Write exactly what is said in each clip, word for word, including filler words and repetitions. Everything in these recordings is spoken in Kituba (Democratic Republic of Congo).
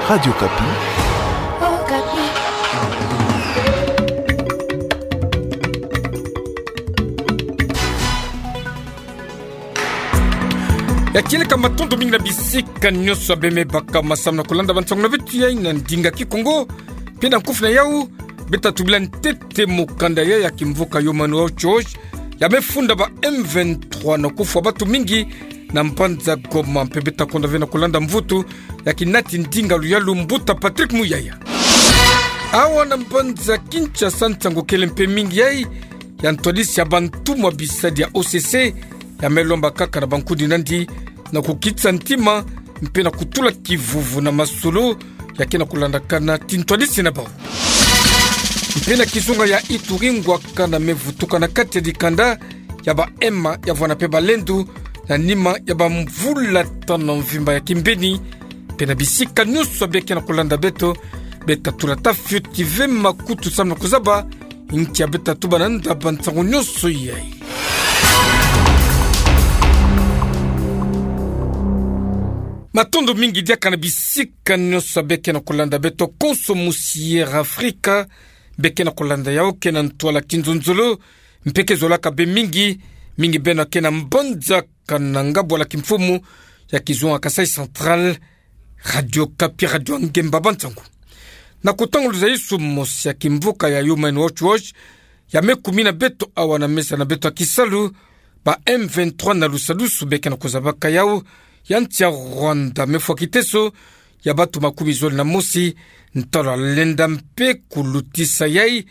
Radio Okapi. Ya kieleka, matondo mingi na bisika nyonso ya bemebaka ma samuna kolanda bansangu na beto ya ina ndinga Kikongo. Mpe na nkufi na yau, beta tubila ntete mokanda ya, ya kimvuka Human Rights Watch, ya mefunda ba M vingt-trois na kufwa bantu mingi na mbanza Goma, mpe beta konda ve na kolanda mvutu ya kinati ndinga luyalu, Mbuta Patrick Muyaya. Awa na mbanza Kinshasa, nsangu kele mpe mingi yai ya ntwadisi ya bantumwa bisadi ya O C C, ya melomba kaka na bankundi nandi na kukitisa ntima, mpe na kutula kivuvu na masolo ya ke na kulandakana ti ntwadisi na bau. Mpe na kizunga ya Ituri, ngwakana mevutuka na kati ya dikanda ya ba M ya vwanda mpe balendu, na nima ya bamvula tano mvimba ya kimbeni. Mpe na bisika nyonso bia ke na kulanda beto, beta tula ta fioti ve makutu samuna kuzaba ntia beta tuba na nda bansangu nyonso yai. Matondo mingi diaka na bisika nyonso bia ke na kulanda beto. Konso musi Air Africa bia ke na kulanda yau ke na ntwala kinzonzolo, mpe ke zolaka be mingi, mingi beno ke na mbanza Kananga, bwala kimfumu ya kizunga Kasaï Central, Radio Okapi, radio ya ngemba bansangu. Na kutanga luzaisu mosi ya kimvuka ya Human Rights Watch, ya mekumina beto awa na mesa na beto ya kisalu, ba M vingt-trois na lusadusu bia ke na kuzabaka yau, ya nsi ya Rwanda mefwa kiteso ya bantu makumi zole na mosi, ntalo ya lenda mpe kulutisa yai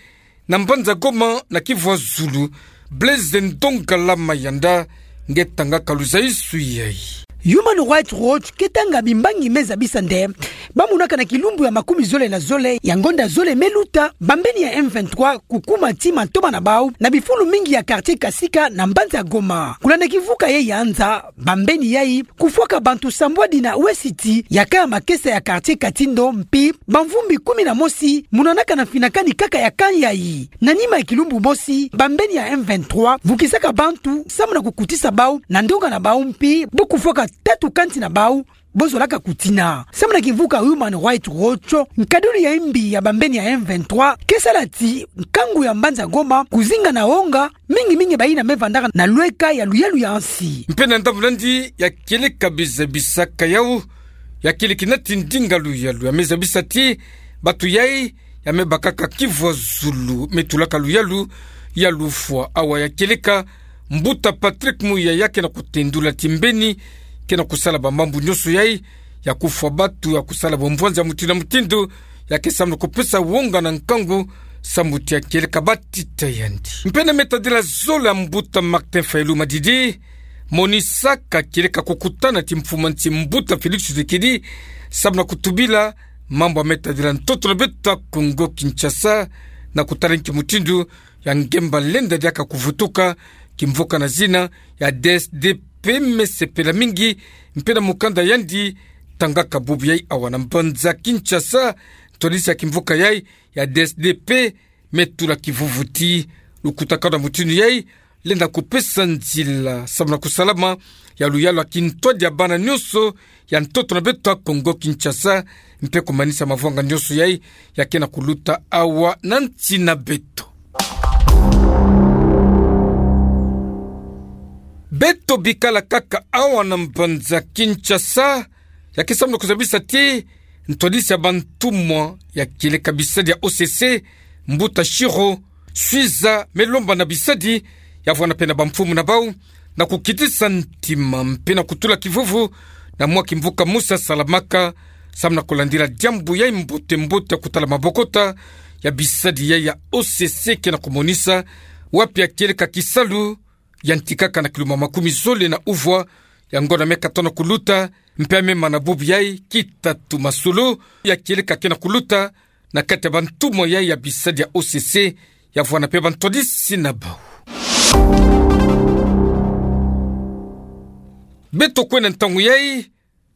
na mbanza Goma na kivwa zulu. Blaise Ndongala Mayanda nge tangaka luzaisu yai. Human Rights Watch ke tanga bimbangi meza bisa nde bamonaka na kilumbu ya makumi zole na zole ya ngonda zole meluta, bambeni ya M vingt-trois kukuma ti mantoma na bau na bifulu mingi ya quartier Kasika na mbanza Goma. Kulanda kivuka yai ya nza, bambeni yai kufwaka bantu sambwadi na wesiti ya ka ya makesa ya quartier Katindo, mpi bamvumbi kumi na mosi monanaka na mfinakani kaka ya ka yai. Na nima ya kilumbu mosi, bambeni ya M vingt-trois vukisaka bantu samuna kukutisa bau na ndonga na bau, mpi bo kufwaka tatu kanti na bau bo zolaka kutina. Samuna kimvuka Human Rights Watch, nkadulu ya mbi ya bambeni ya M vingt-trois ke sala ti nkangu ya mbanza Goma kuzinga na wonga, mingi mingi bayina mevandaka na lweka ya luyalu ya nsi. Mpe na ndambu nandi ya kieleka bizabisaka yau, ya kieleka nati ndinga luyalu, ya mezabisa ti bantu yai ya mebakaka kivwa zulu, metulaka luyalu ya lufwa. Awa ya kieleka, Mbuta Patrick Muyaya ke na kutendula ti mbeni ke na kusala bamambu nyonso yai, ya kufwa bantu, ya kusala bamvwanza mutindu na mutindu, ya ke samuna kupesa wonga na nkangu, samu ti ya kieleka batita yandi. Mpe na metadila zole ya Mbuta Martin Fayulu Madidi, monisaka kieleka kukutana ti mfumu ya nsi Mbuta Félix Tshisekedi, samuna kutubila mambu ya metadila ntoto na beto ya Kongo Kinshasa, na kutala nki mutindu ya ngemba lenda diaka kuvutuka, kimvuka na zina ya D S D P. Mesepela mingi mpe na mukanda yandi tangaka bubu yai awa na mbanza Kinshasa. Ntwadisi ya kimvuka yai ya D S D P metula kivuvu ti lukutakanu ya mutindu yai lenda kupesa nzila samuna kusalama ya luyalu ya kintwadi ya bana nyonso ya ntoto na beto ya Kongo Kinshasa, mpe kumanisa mavwanga nyonso yai ya ke na kuluta awa na nsi na beto. Beto bikala kaka awa na mbanza Kinshasa, ya ke samuna kuzabisa ti ntwadisi ya bantumwa ya kieleka bisadi ya O C C, Mbuta Shiro Swiza, melomba na bisadi ya vwanda mpe na bamfumu na bau na kukitisa ntima mpe na kutula kivuvu na mwa kimvuka mosi ya salamaka, samuna kulandila diambu yai mbote mbote ya kutala mabokota ya bisadi yai ya O C C ke na kumonisa, wapi ya kieleka kisalu yantikaka na kilumbu makumi zole na uvwa ya ngonda me katona kuluta, mpe ya memana bubu yai kitatu. Masolo ya kieleka ke na kuluta na kati ya bantumwa yai ya bisadi ya O C C, ya vwanda mpe bantwadisi na bau. Beto kwenda ntangu yai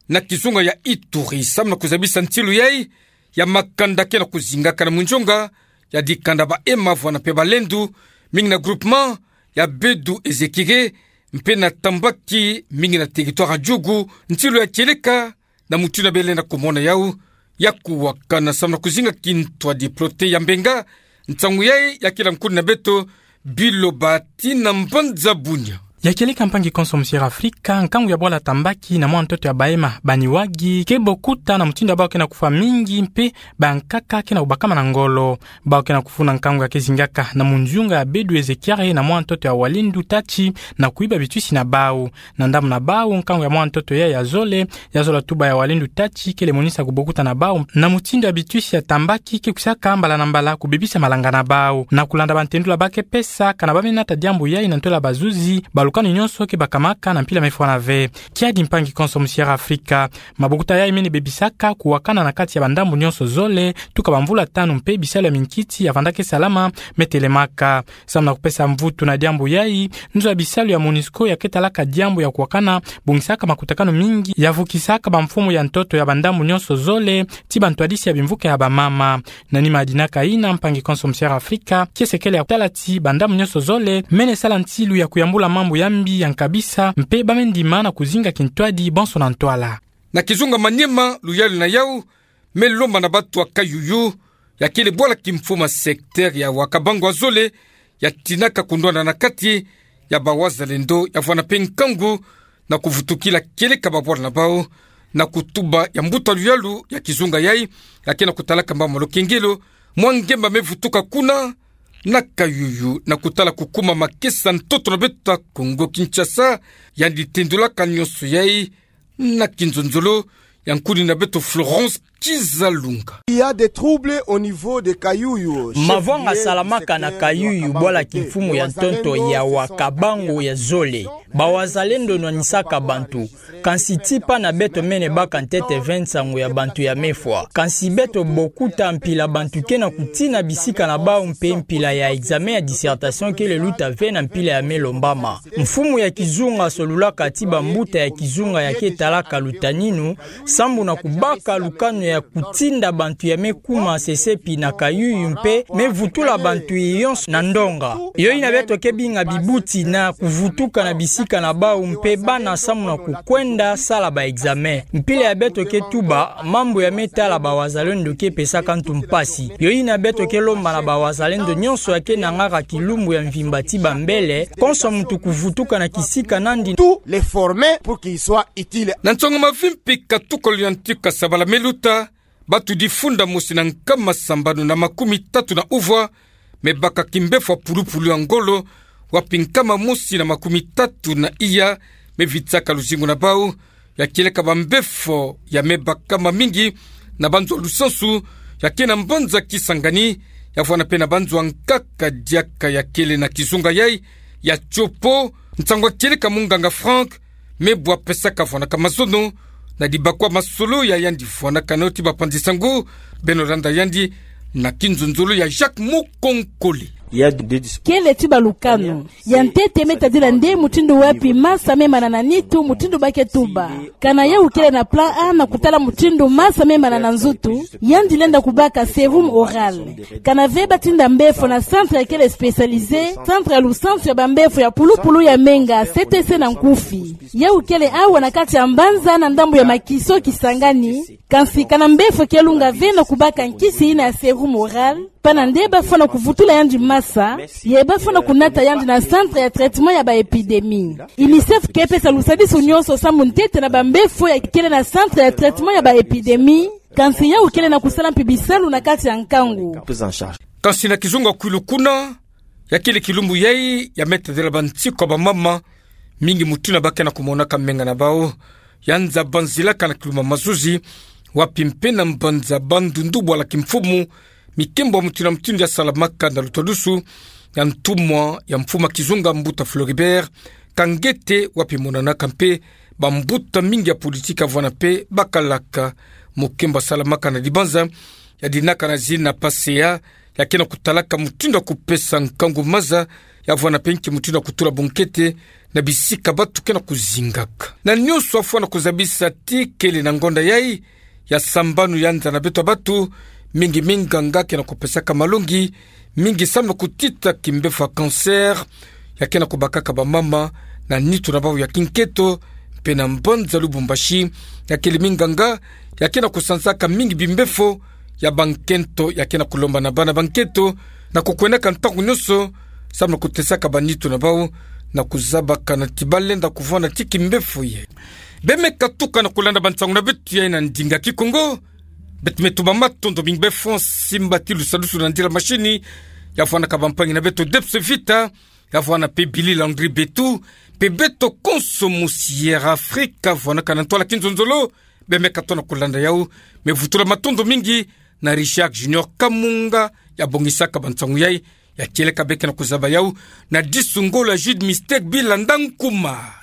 na kizunga ya Ituri, samuna kuzabisa ntilu yai ya makanda ke na kuzingaka na munzonga ya dikanda ba M vwanda mpe balendu, mingi na groupement ya Bedu Ezekire, mpe na Tambaki, mingi na territoire ya Djugu. Ntilu ya kieleka na mutindu bele na kumona yau, ya kuwakana samu na kuzinga kintwadi, Prote Yambenga. Nsangu yayi ya kila nkuni na beto, biloba tina mbanza bunia. Ya kieleka mpangi konso Musiera Afrika, nkangu ya bwala Tambaki na mwana ntoto ya Bahema, Baniwagi, ke bokuta na mutindu ya bawu ke na kufwa mingi mpe bankaka ke na kubakama na ngolo. Bawu ke na kufuna nkangu ya ke zingaka na munzunga ya Bedu Ezekiare na mwana ntoto ya Walendu Tati na kuiba bitwisi na bawu. Na ndambu na bawu, nkangu ya mwana ntoto yayi ya zole, ya zola tuba ya Walendu Tati, kele monisa kubokuta na bawu na mutindu ya bitwisi ya Tambaki ke kwisaka mbala na mbala kubebisa malanga na bawu. Na kulanda bantendula ba ke pesa, kana ba me nata diambu yayi na ntwala bazuzi, balukani nyonso ke bakamaka na mpila me fwana ve. Kiadi mpangi konso Musiera Afrika. Mabokuta yayi mene bebisaka kuwakana na kati ya bandambu nyonso zole, tuka bamvula tanu mpe bisalu ya minkiti ya vanda ke salama me telemaka. Samu na kupesa mvutu na diambu yayi, nzo ya bisalu ya MONUSCO ya ke talaka diambu ya kuwakana bongisaka makutakanu mingi ya vukisaka bamfumu ya ntoto ya bandambu nyonso zole, ti bantwadisi ya bimvuka ya bamama. Na nima ya dinaka yina, mpangi konso Musiera Afrika, kiese kele ya kutala ti bandambu nyonso zole mene sala nsilu ya kuyambula mambu ya mbi ya nkabisa, mpe ba me ndima na kuzinga kintwadi bonso na ntwala. Na kizunga Maniema, luyalu na yawu me lomba na batu ya Kayuyu, ya kele bwala kimfumu ya secteur ya Wakabango ya zole, ya tinaka kundwana na kati ya bawazalendo, ya vwana mpe nkangu na kuvutukila kieleka babwala na bawu, na kutuba ya mbuta luyalu ya kizunga yayi, ya ke na kutalaka mama Lokengelo, mwa ngemba me vutuka kuna na Kayuyu, na kutala kukuma makesa ntoto na beto ya Kongo Kinshasa. Yandi tendulaka nyonso yayi na kinzonzolo ya nkuni na beto Florence Kizalunga. Il y a des troubles au niveau de Kayuyu. Mavwanga salamaka na Kayuyu, bwala kimfumu ya ntoto ya Wakabango ya zole. Bawazalendo nwanisaka bantu. Kansi ti pana beto mene baka ntete ve nsangu ya bantu ya me fwa. Kansi beto bokuta mpila bantu ke na kutina bisika na bawu mpe mpila ya examen ya dissertation kele luta ve na mpila ya me lombama. Mfumu ya kizunga solulaka ti bambuta ya kizunga ya ke talaka lutaninu, sambu na kubaka lukanu ya kutinda bantu ya me kuma sesepi na Kayuyu mpe me vutula bantu yonso na ndonga. Yo yina beto ke binga bibuti na kuvutuka na bisika na bawu mpe bana samu na kukwenda sala ba examen. Mpila ya beto ke tuba mambu ya me tala bawazalendo ke pesaka ntu mpasi. Yo yina beto ke lomba na bawazalendo nyonso ya ke nangaka kilumbu ya mvimba ti bambele, konso muntu kuvutuka na kisika nandi. Tous les former pour qu'ils soient utiles. Na nsonga mavimpi, katuka luyantika sabala me luta, batu difunda mosi na nkama sambanu na makumi tatu na uvwa me baka kimbefo ya pulupulu ya ngolo, wapi nkama mosi na makumi tatu na iya me vitsaka luzingu na bawu, ya kieleka bambefo ya me bakama mingi na banzo ya lusansu ya ke na mbanza Kisangani, ya vwana mpe na banzo ya nkaka diaka ya kele na kizunga yayi ya Tshopo. Nsangu ya kieleka munganga Franck me bwa pesaka vwanaka mazono na dibakwa masolo ya yandi vwanaka na yo ti bapanzi nsangu. Beno landa yandi na kinzonzolo ya Jacques Mukonkole. Kele ti balukanu. Ya ntete me tadila nde mutindu wapi masa me mana na nitu, mutindu ba ke tuba. Kana yawu kele na plan A na kutala mutindu masa me mana na nzutu, yandi lenda kubaka sérum oral. Kana ve ba tinda mbefo na centre ya kele spécialisé, centre ya lusansu ya bambefo ya pulupulu ya menga, C T C na nkufi. Yawu kele awa na kati ya mbanza na ndambu ya Makiso Kisangani, kansi kana mbefo ke lunga ve na kubaka nkisi yina ya sérum oral, pana nde ba fwana kuvutula yandi masa, ye ba fwana kunata yandi na centre ya traitement ya ba épidémie. UNICEF ke pesa lusadisu nyonso sambu ntete na bambefo ya kele na centre ya traitement ya ba épidémie, kansi yawu kele na kusala mpe bisalu na kati ya nkangu. Kansi na kizunga Kwilu kuna, ya kele kilumbu yayi ya me tadila bansiku ya bamama, mingi mutindu ba ke na kumonaka menga na bawu. Ya nza banzilaka na kilumbu ya mazuzi, wapi mpe na mbanza Bandundu bwala kimfumu, mikembo ya mutindu na mutindu ya salamaka na lutwadusu ya ntumwa ya mfumu ya kizunga mbuta Floribert Kangete, wapi monanaka mpe bambuta mingi ya politiki ya vwana mpe bakalaka. Mukembo ya salamaka na dibanza ya dinaka na zina PACEA, ya ke na kutalaka mutindu ya kupesa nkangu maza, ya vwana mpe nki mutindu ya kutula bunkete na bisika batu ke na kuzingaka. Na nyonso ya fwana kuzabisa ti kele na ngonda yayi ya sambanu ya nza na beto ya batu, mingi minganga ke na kupesaka malongi, mingi samu na kutita kimbefo ya cancer ya ke na kubakaka bamama na nitu na bawu ya kinketo, mpe na mbanza Lubumbashi, ya kele minganga ya ke na kusanzaka mingi bimbefo ya bankento, ya ke na kulomba na bana bankento na kukwenaka ntangu nyonso, samu na kutesaka banitu na bau, na kuzabaka nati balenda kuvwanda ti kimbefo ye. Bemeka tuka na kulanda bansangu na beto yai na ndinga Kikongo. Beto me tuba matondo mingi be Francis Mbati Lusadusu na ndila mashini, ya vwanaka bampangi na beto Debs Vita, ya vwana mpe Billy Landry Betu, mpe beto konso musi Air Afrika vwanaka na ntwala kinzonzolo. Bemeka tona kulanda yau. Me vutula matondo mingi na Richard Junior Kamunga, ya bongisaka bansangu yai, ya kieleka be ke na kuzaba yau, na disu ngolo ya Jude Mistake Bilanda Nkuma.